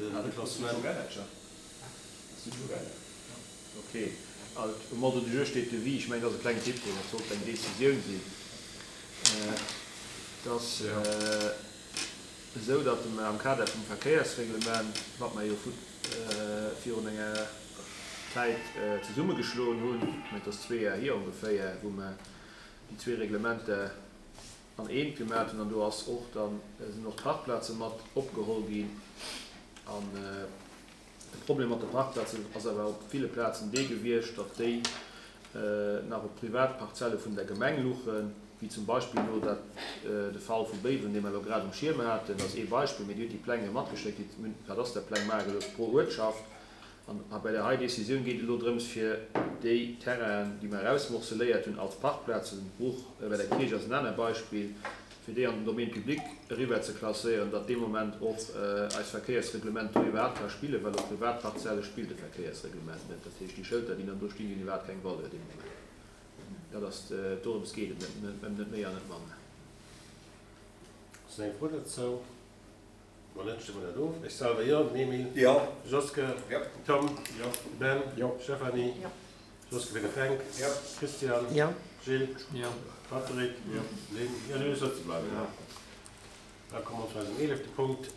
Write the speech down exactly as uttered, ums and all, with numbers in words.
De Klassement. Okay. Um Ordre du jour steet Devis. Ech mengen, dat ass e klengen Tippfeeler, dat sollt eng Decisioun sinn. Et ass esou, datt mer am Kader vum Verkéiersreglement, wat mer jo virun enger Zäit zesummegeschloen hunn, ech mengen, et ass zwee Jar hier ongeféier, wou mer déi zwee Reglementer an eent gemat hunn, an do ass och dann, sinn och d'Parkplaze mat opgeholl ginn. An de Problem mat de Parkplazen ass awer op ville Plazen dee gewiescht, datt déi nach op Privatparzelle vun der Gemeng luchen, wéi zum Beispill elo dat de Fall vu Béiwen, dee mer elo grad um Schierm haten, dat ass ee Beispill, mee Dir hutt déi Pläng jo matgeschéckt, déi hunn d'Kadasterpläng maache gelooss pro Uertschaft. An bei där hei Décisioun geet et elo drëms, fir déi Terrainen, déi mer erausmorceléiert hunn als Parkplazen, Bruch bei der Kierch ass en aner Beispill, fir déi an den Domaine public eriwwer ze klasséieren, datt dee Moment och eist Verkéiersreglement do iwwerhaapt ka spillen, well op Privatparzelle spillt de Verkéiersreglement net. Dat heescht, déi Schëlter, déi dann do stinn, déi hunn iwwerhaapt keng Valeur dee Moment. Dat ass, dorëms geet et, net ëm net méi an net manner. Ass nach eng Fro dozou? Wann net, stëmme mer dat of. Ech selwer jo. Den Emile? Jo. De Joske? Jo. Den Tom? Jo. De Ben? Jo. Stéphanie? Jo. Joske fir de Fränk? Jo. Christian? Jo. Gilles? Jo. Patrick? Jo. Lynn? Jo, du sëtze bleiwen, jo. Da komme mer zu eisem eelefte Punkt.